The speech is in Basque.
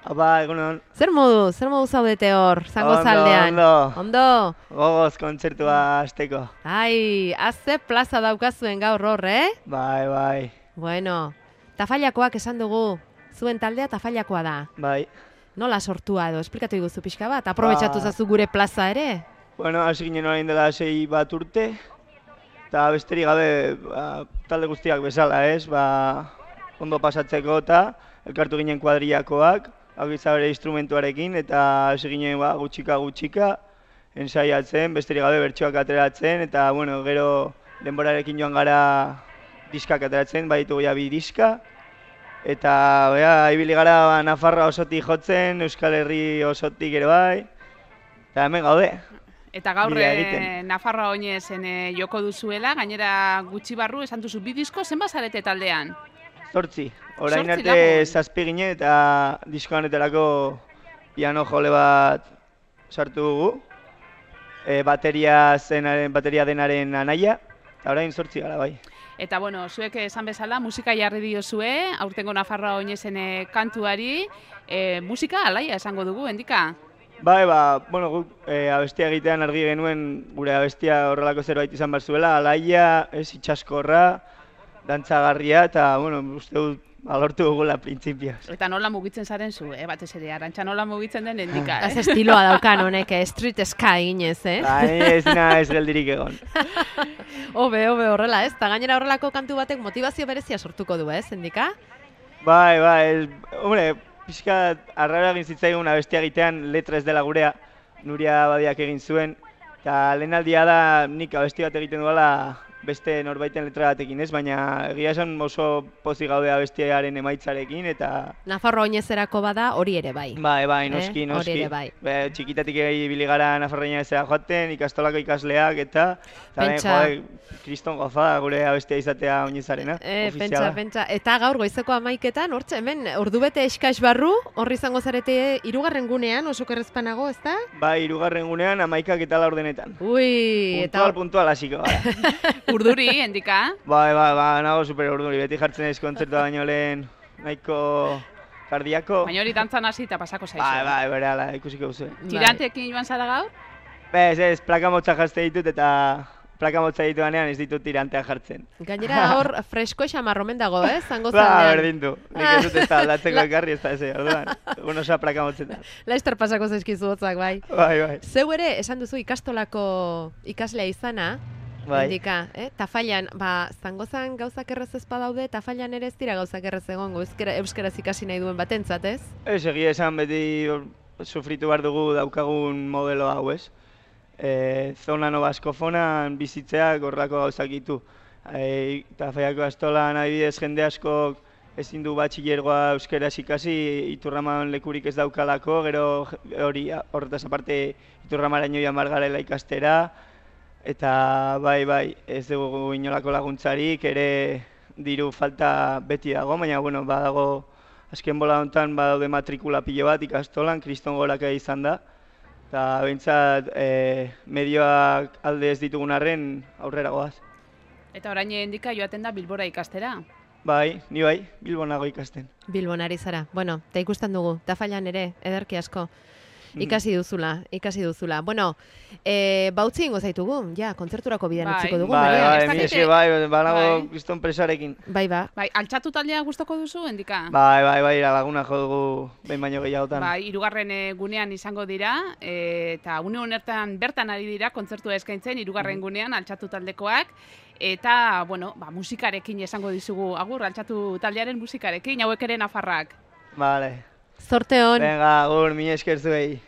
Apa, egunon. Zer modu zaudete hor, Zangozaldean? Ondo. Gogoz kontzertua hasteko. Ai, azze plaza daukazuen gaur hor, Bai. Bueno, Tafailakoak esan dugu, zuen taldea Tafailakoa da. Bai. Nola sortua edo, esplikatu iguzu pixka bat, aprobetxatu zazu gure plaza ere? Bueno, hasi ginen orain dela 6 bat urte, eta besterik gabe talde guztiak bezala, ondo pasatzeko eta elkartu ginen kuadriakoak, hau bere instrumentuarekin, eta hasi ginen gutxika ensaiatzen, besterik gabe bertsoak ateratzen, eta bueno, gero denborarekin joan gara diskak ateratzen, baditugu ja 2 diska, eta ibili gara Nafarroa osotik jotzen, Euskal Herri osotik ere bai, eta hemen gaude. Eta gaur Nafarroa oinezen joko duzuela, gainera gutxi barru esan duzu 2 disko, zenbat zarete taldean? 8. Orain arte 7 ginen eta disko honetarako piano jole bat sartu dugu. Bateria denaren anaia, eta orain 8 gara bai. Eta bueno, zuek esan bezala, musika jarri diozue, aurtengo Nafarroa oinezen kantuari, musika alaia esango dugu, endika? Bai, bueno, guk abestia egitean argi genuen gure abestia horrelako zerbait izan behar zuela, alaia, itxaskorra, dantzagarria, eta, bueno, uste dut alortu dugula printzipioz. Eta nola mugitzen zaren zu, batez ere, Arantxa nola mugitzen den endika, Ez estiloa daukan honek, street sky ginez, Bai, ez geldirik egon. Hobe, horrela, ez? Ta gainera horrelako kantu batek motivazio berezia sortuko du, endika? Bai, hombre, pixka arraro egin zitzaigun abestia egitean letra ez dela gurea, Nuria Badiak egin zuen, eta lehenaldia da nik abesti bat egiten duela beste norbaiten letra batekin ez, baina egia esan oso pozik gaude abestiaren emaitzarekin eta... Nafarroa oinezerako bada hori ere bai. Bai, noski. Hori ere bai. Txikitatik ibili gara Nafarroa oinezera joaten, ikastolako ikasleak eta... Pentsa... Kriston goza gure abestia izatea oinezarena, ofiziala. Pentsa. Eta gaur goizeko 11etan, hortxe hemen, ordubete eskaix barru, horri izango zarete 3. gunean, oso kerrezpanago, ezta? Bai, 3. gunean 11:04. Ui, puntual hasiko gara. Urduri, endika? Bai, nago super urduri, beti jartzen ez kontzertua baino lehen nahiko kardiako. Baina hori dantzan hasi eta pasako zaizu. Bai, bere ala, ikusiko duzu. Tirantekin joan zara gaur? Ez, plaka motza jazte ditut eta plaka motza dituanean ez ditut tirantea jartzen. Gainera hor fresko xamarromen dago, Zangozaldean. Berdindu, nik ez dut ez da aldatzeko ekarri ez da ez, orduan, egun osa plaka motzetan. Laizter pasako zaizkizu hotzak, bai. Bai. Zeu ere, esan duzu ikastolako ikaslea izana, indika, Tafailan, Zangozan gauzak errez ez badaude, Tafailan ere ez dira gauzak errez egongo, euskaraz ikasi nahi duen batentzat, ez? Ez, egia esan beti sufritu behar dugu daukagun modelo hau, ez? Zona nobaskofonan bizitzeak horrelako gauzak ditu. Tafaiako astolan adibidez jende askok ezin du batxilergoa euskaraz ikasi, Iturraman lekurik ez daukalako, gero hori horretaz aparte Iturramaraino joan behar garela ikastera, eta bai, ez dugu inolako laguntzarik, ere diru falta beti dago, baina bueno, badago azken bola honetan badaude matrikula pilo bat ikastolan, kriston goraka izan da, eta behintzat medioak alde ez ditugun arren aurrera goaz. Eta orain endika joaten da Bilbora ikastera? Bai, ni bai, Bilbon nago ikasten. Bilbon ari zara, bueno, eta ikusten dugu, Tafailan ere, ederki asko. Ikasi duzula. Bueno, bautzi ingo zaitugu, kontzerturako bidean utziko dugu. Bai, banago kriston presarekin. Bai. Altxatu taldea gustoko duzu, endika? Bai, laguna jo dugu behin baino gehiagotan. Bai, 3. gunean izango dira, eta une honetan bertan ari dira kontzertua eskaintzen 3. gunean altxatu taldekoak, eta, bueno, musikarekin esango dizugu, agur, altxatu taldearen musikarekin, hauek ere Nafarrak. Vale. Zorte hon. Venga, agur, mila esker zuei.